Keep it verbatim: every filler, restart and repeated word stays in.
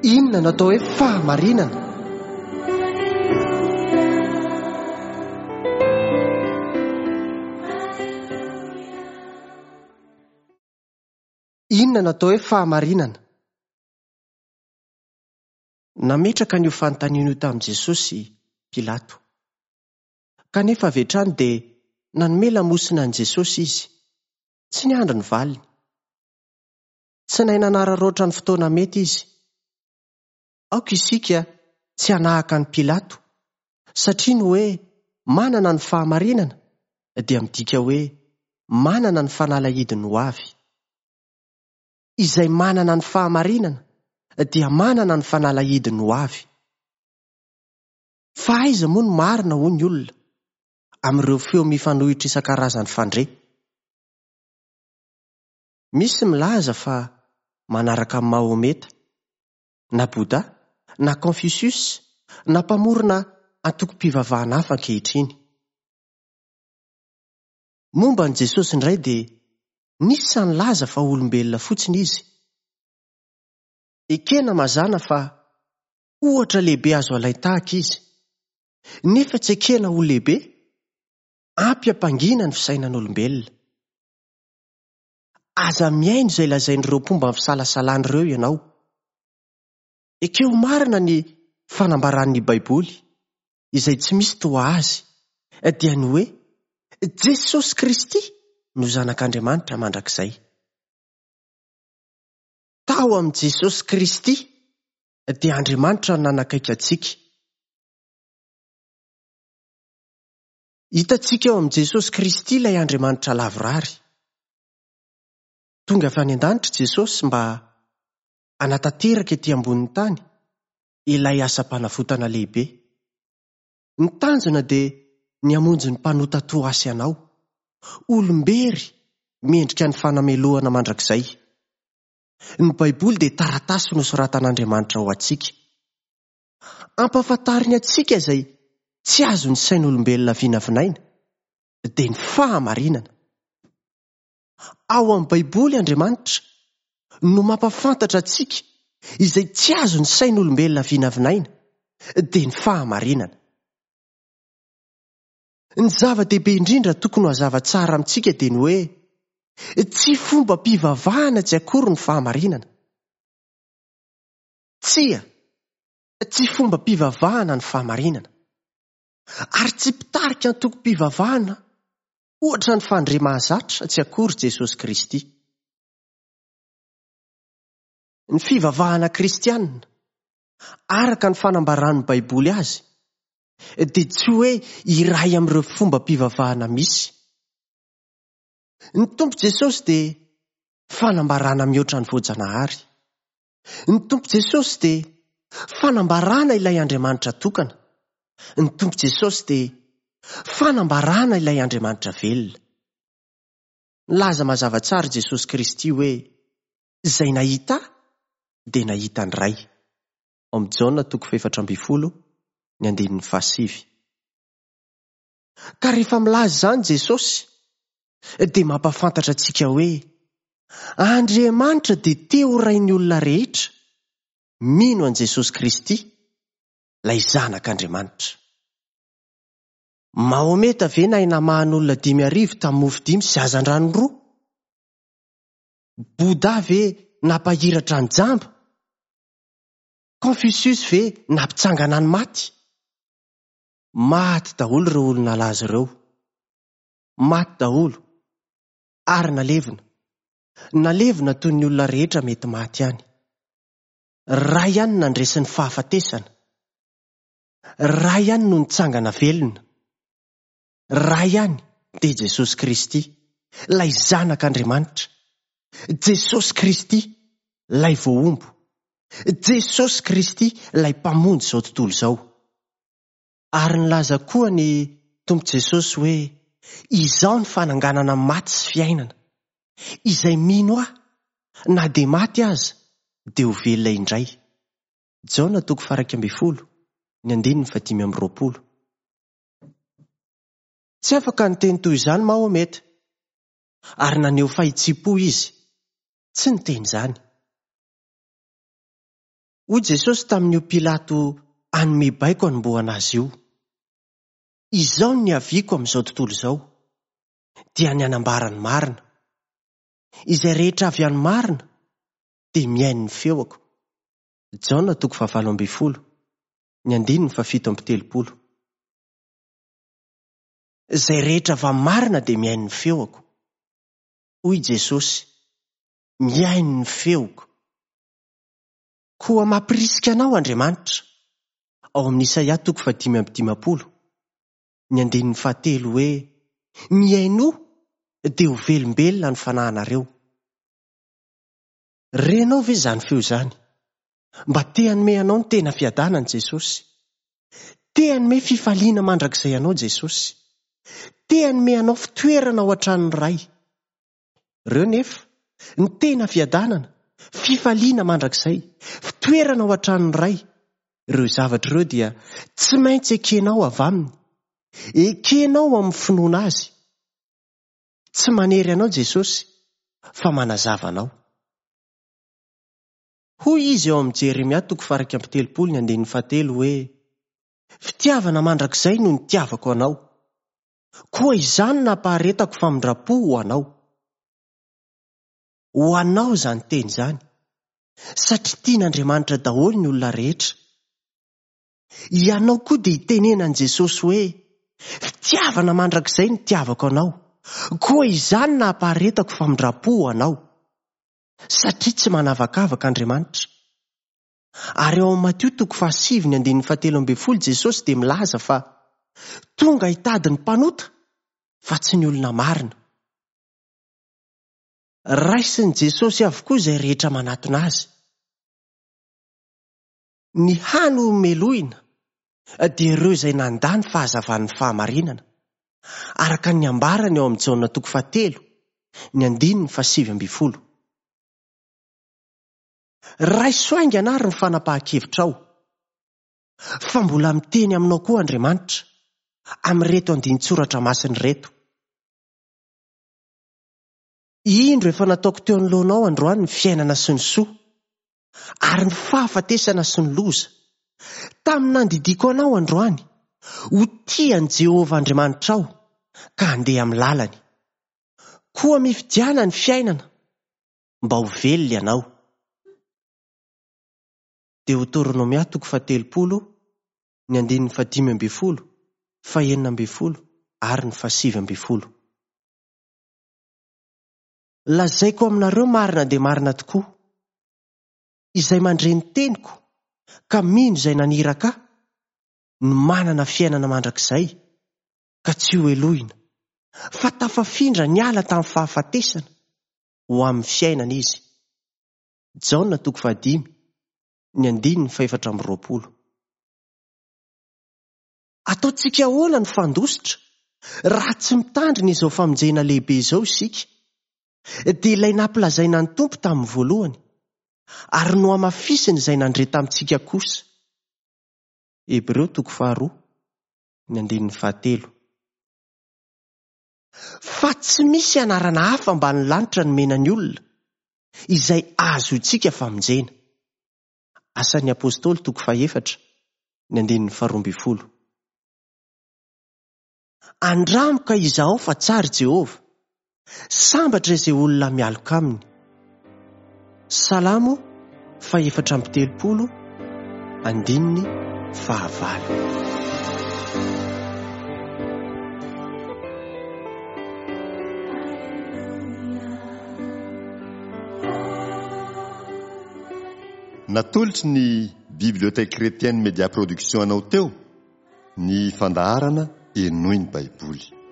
Inona no atao hoe fahamarinana? Inona no atao hoe fahamarinana? Nametraka an'io fanontaniana io tamin'i Jesosy Pilato. Kanefa avy hatrany dia nanome lamosina an'i Jesosy izy. Tsy niandry ny valiny. Tsy nahay nanararaotra ny fotoana mety izy. Aoka isika tsy hanahaka an'i Pilato, satria ny hoe manana ny fahamarinana dia midika hoe manana ny fanalahidiny ho avy. Izay manana ny fahamarinana dia manana ny fanalahidiny ho avy. Fa aiza moa no marina hoy ny olona amin'ireo feo mifanohitra isan-karazany fandre? Misy milaza fa manaraka an'i Mahometa, na Bouddha, na Confucius, na mpamorona antokom-pivavahana hafa ankehitriny. Momba an'i Jesosy indray dia nisy nilaza fa olombelona fotsiny izy. Ekena mazàna fa ohatra lehibe azo alain-tahaka izy, nefa tsy ekena ho lehibe, ampy ampangina ny fisainan'olombelona. Aza mihaino izay lazain'ireo mpomba ny fisalasalana ireo ianao. Ekeo marina ny fanambaran'ny Baiboly, izay tsy misy toa azy, dia ny hoe Jesosy Kristy no Zanak'Andriamanitra mandrakizay. Tao amin'i Jesosy Kristy dia Andriamanitra no nanakaiky antsika. Hitantsika ao amin'i Jesosy Kristy ilay Andriamanitra lavorary. Tonga avy any an-danitra Jesosy mba hanatanteraka ety ambonin'ny tany ilay asam-panavotana lehibe. Ny tanjona dia ny hamonjy ny mpanota toa ahy sy anao, olom-bery mendrika ny fanamelohana mandrakizay. Ny Baiboly dia taratasy nosoratan'Andriamanitra ho antsika. Ampahafantariny antsika izay tsy azon'ny sain'olombelona vinavinaina, dia ny fahamarinana. Ao amin'ny Baiboly Andriamanitra no mampahafantatra antsika izay tsy azon'ny sain'olombelona vinavinaina, dia ny fahamarinana. Ny zava-dehibe indrindra tokony ho hazava tsara amintsika dia ny hoe tsy fombam-pivavahana tsy akory ny fahamarinana. Tsia, tsy fombam-pivavahana ny fahamarinana. Ary tsy mpitarika antokom-pivavahana ohatra ny fandre mahazatra tsy akory Jesosy Kristy. Ny fivavahana kristianina, araka ny fanambaran'ny Baiboly azy, dia tsy hoe iray amin'ireo fombam-pivavahana misy. Ny Tompo Jesosy dia fanambarana mihoatra ny voajanahary. Ny Tompo Jesosy dia fanambarana ilay Andriamanitra tokana. Ny Tompo Jesosy dia fanambarana ilay Andriamanitra velona. Nilaza mazava tsara Jesosy Kristy hoe izay nahita dia nahita ny Ray. Ao amin'ny Jaona toko fahefatra ambin'ny folo ny andininy fahasivy. Ka rehefa milaza izany Jesosy dia mampahafantatra antsika hoe Andriamanitra dia te ho rain'ny olona rehetra mino an'i Jesosy Kristy, ilay Zanak'Andriamanitra. Mahometa ve nahay namahan'olona dimy arivo tamin'ny mofo dimy sy hazandrano roa? Bouddha ve nampahiratra ny jamba? Confucius ve nampitsangana ny maty? Maty daholo ireo olona nalaza ireo. Maty daholo ary nalevina. Nalevina toy ny olona rehetra mety maty ihany. Ray ihany nandresy ny fahafatesana. Ray ihany no nitsangana velona. Ray ihany dia Jesosy Kristy, ilay Zanak'Andriamanitra. Jesosy Kristy, ilay voahombo. Jesosy Kristy, ilay mpamonjy izao tontolo izao. Ary nilaza koa ny Tompo Jesosy hoe izaho ny fananganana maty sy fiainana. Izay mino ahy, na dia maty aza, dia ho velona indray. Jaona toko faha-iraika ambin'ny folo, ny andininy fahadimy amby roapolo. Tsy afaka niteny toy izany Mahometa, ary naneho fahitsim-po izy. Tsy niteny izany. Hoy Jesosy tamin'io Pilato hanome baiko hanombohana azy io. Izao no niaviako amin'izao tontolo izao, dia ny hanambara ny marina. Izay rehetra avy any marina dia mihaino ny feoko. Jaona toko fahavalo ambin'ny folo, ny andininy fahafito amby telopolo. Izay rehetra avy amin'ny marina dia mihaino ny feoko. Hoy Jesosy, mihaino ny feoko. Koa mampirisika anao Andriamanitra, ao amin'ny Isaia toko fahadimy amby dimampolo, ny andininy fahatelo hoe, mihainoa dia ho velombelona ny fanahinareo. Renao ve izany feo izany? Mba te hanome anao ny tena fiadanana Jesosy. Te hanome fifaliana mandrakizay anao Jesosy. Te hanome anao fitoerana ao an-tranon'ny Ray. Ireo nefa, ny tena fiadanana, fifaliana mandrakizay, fitoerana ao an-tranon'ny Ray. Ireo zavatra ireo dia tsy maintsy ekenao avy aminy. Ekenao amin'ny finoana azy. Tsy manery anao Jesosy, fa manazava anao. Hoy izy eo amin'ny Jeremia toko faha-iraika amby telopolo ny andininy fahatelo hoe, fitiavana mandrakizay no nitiavako anao. Koa izany nampaharetako famindram-po ho anao. Ho anao izany teny izany, satria tian'Andriamanitra daholo ny olona rehetra. Ianao koa dia hitenenan'i Jesosy hoe, fitiavana mandrakizay no nitiavako anao. Koa izany nampaharetako famindram-po ho anao. Satria tsy manavakavaka Andriamanitra. Ary ao amin'ny Matio toko fahasivy ny andininy fahatelo ambin'ny folo Jesosy dia milaza fa tonga hitady ny mpanota fa tsy ny olona marina. Raisin'i Jesosy avokoa izay rehetra manatona azy. Ny hany ho melohina dia ireo izay nandà ny fahazavan'ny fahamarinana, araka ny ambarany ao amin'ny Jaona toko fahatelo, ny andininy fahasivy ambin'ny folo. Raiso haingana ary ny fanapahan-kevitrao, fa mbola miteny aminao koa Andriamanitra amin'ireto andinin-tsoratra masina ireto. Indro efa nataoko teo anoloanao androany ny fiainana sy ny soa, ary ny fahafatesana sy ny loza. Tamin'ny nandidiako anao androany, ho tia an'i Jehovah Andriamanitrao ka handeha amin'ny lalany. Koa mifidiana ny fiainana mba ho velona ianao. Deoteronomia toko fahatelopolo, ny andininy fahadimy ambin'ny folo, fahenina ambin'ny folo ary ny fahasivy ambin'ny folo. Lazaiko aminareo marina dia marina tokoa, izay mandre ny teniko ka mino izay naniraka ahy, no manana fiainana mandrakizay ka tsy ho helohina, fa tafafindra niala tamin'ny fahafatesana ho amin'ny fiainana izy. Jaona toko fahadimy, ny andininy fahefatra amby roapolo. Ataontsika ahoana ny fandositra raha tsy mitandrina izao famonjena lehibe izao isika? Dia ilay nampilazaina ny Tompo tamin'ny voalohany, ary nohamafisiny izay nandre tamintsika kosa. Hebreo toko faharoa, ny andininy fahatelo. Fa tsy misy anarana hafa ambany lanitra nomena ny olona, izay ahazoantsika famonjena. Asan'ny Apôstôly toko fahefatra, ny andininy faharoa ambin'ny folo. Andramo ka izahao fa tsara Jehovah, sambatra izay olona mialoka aminy. Salamo fahefatra amby telopolo, andininy fahavalo. Natolotry ny Bibliothèque Chrétienne Média Production anao teo ny fandaharana Henoy ny Baiboly.